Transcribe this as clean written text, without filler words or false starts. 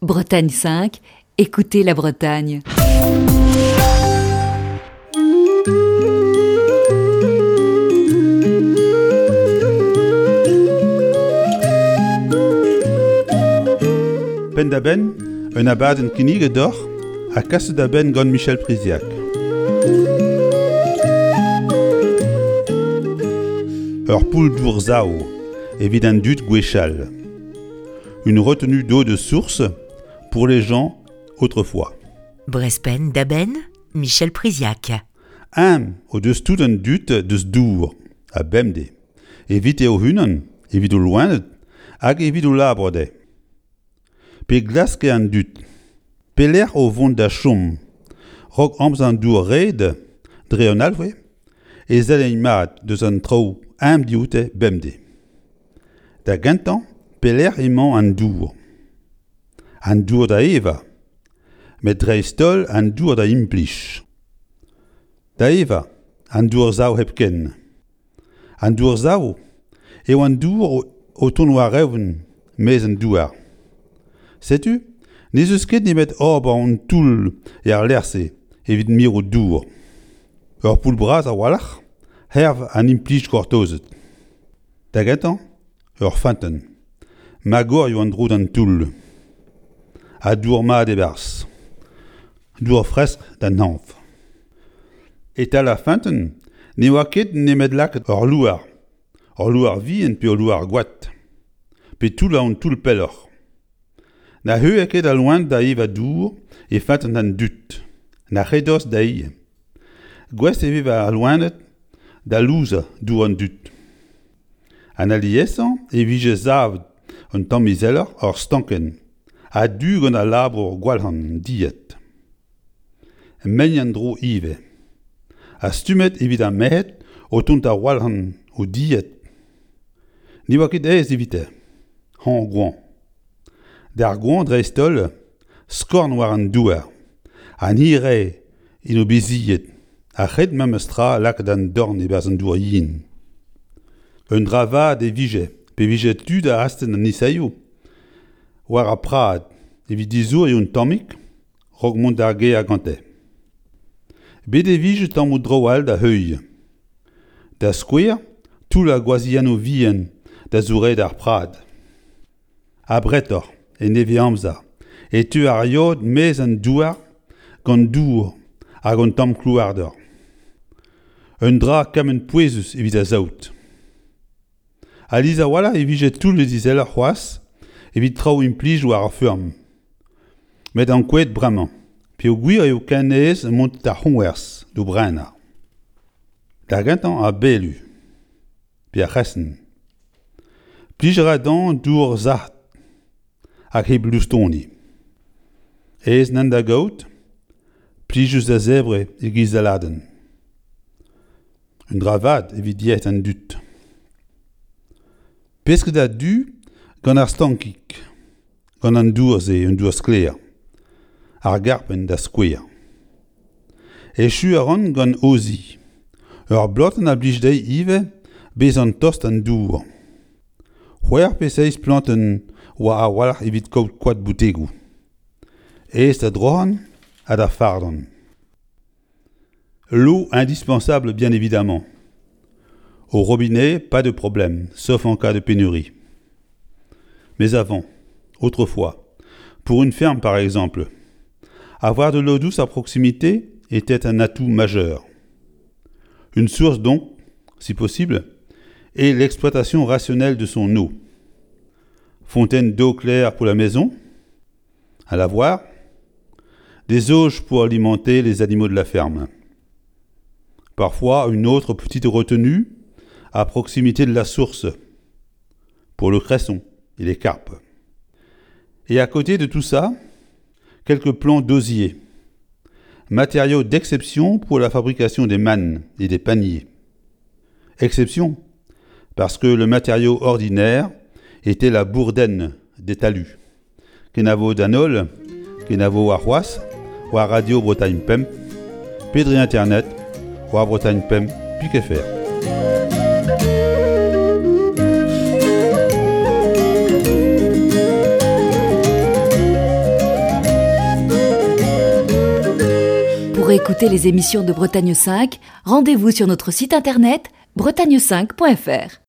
Bretagne 5, écoutez la Bretagne. Penn-da-benn, un abadenn kinniget deoc'h ha kaset da benn gant Michel Priziac. Ur poull-dour-sav evit an dud gwechall. Une retenue d'eau de source pour les gens autrefois. Brezpenn da benn, Michel Priziac. Eñ o deus tout an dud deus dour, ha bemdez, evite o-unan, evit o loened hag evit o labour dezhe. Pe glaske an dud, pelec'h o vont da chom, 'raok amzer an dour-red, dre an alc'hwez, e selleint mat deus an traoù eñ dioute bemdez. Da gentañ, pelec'h emañ an dour? An dour da evañ, met dreist-holl an dour da implij. Da evañ, an dour-sav hepken. An dour-sav eo an dour o tont war-eeun maez an douar. Setu n'ez eus ket nemet ober un toull er lec'h-se evit mirout dour. Ur poull bras a-walc'h hervez an implij gortozet. Da gentañ, ur feunteun. Magorioù en-dro d'an toull. Ha dour mat e-barzh. Dour fresk d'an hañv. E-tal ar feunteun ne oa ket nemet lakaat ur loar, ur loar vihan pe ul loar goad, pe toullañ un toull pelloc'h. Na heuilhe ket al loen da evañ dour e feunteun an dud, na re dost dezhi. Gouest e vez al loened da louzañ dour an dud. An aliesañ e vije savet un tamm izeloc'h ur stankenn a-du gant al labour gwalc'han dilhad. Mein en-dro ivez. Ha stummet evit ar merc'hed o tont da walc'han o dilhad. Ne oa ket aes evite, hañv-goañv. D'ar goañv dreist-holl, skorn war an douar, an hirae en o beziet a c'hed memes tra lakaat an dorn e-barzh an dour yen. Un dra vat e vije pe vije tu da astenn an isaioù war ar prad evit dizouriñ un tammig 'raok mont d'ar gêr gante. Bet e vije tammoù draoù all da heuilh. Da skouer, toullañ gwazhiennoù vihan da zouraet ar prad. Abretoc'h, en nevez-amzer, e teu ar yod maez an douar gant dour hag un tamm klouarder. Un dra kement pouezus evit ar saout. Alies a-walc'h e vije toullet izeloc'h c'hoazh evit traoù implij war ar feurm. Met ankouaet bremañ, peogwir eo ken aes mont d'ar c'hoñvers d'o brenañ. Da gentañ ar belu. pe ar c'hresenn. Plij a ra dezhañ dour sac'h hag hep loustoni. Aes nann da gaout, plijus da zebriñ e-giz saladenn. Un dra vat evit yec'hed an dud. Pesked a-du gant ar stankig, gant an dour-se, un dour sklaer, ar garpenn da skouer. Echu a ran gant Ozzy. Ur blotenn a blij dezhi ivez bezañ tost d'an dour. C'hwec'h pe seizh plantenn oa a-walc'h evit kaout koad boutegoù. Aes da droc'han ha da fardan. L'eau indispensable bien évidemment. Au robinet, pas de problème, sauf en cas de pénurie. Mais avant, autrefois, pour une ferme par exemple, avoir de l'eau douce à proximité était un atout majeur. Une source donc, si possible, et l'exploitation rationnelle de son eau. Fontaine d'eau claire pour la maison, à lavoir, des auges pour alimenter les animaux de la ferme. Parfois une autre petite retenue à proximité de la source pour le cresson et les carpes. Et à côté de tout ça, quelques plants d'osier, matériaux d'exception pour la fabrication des mannes et des paniers. Exception, parce que le matériau ordinaire était la bourdaine des talus. Kenavo d'an holl, kenavo warc'hoazh, war Radio Bretagne Pemp, pe dre internet, war Bretagne Pemp pik fr. Pour écouter les émissions de Bretagne 5, rendez-vous sur notre site internet bretagne5.fr.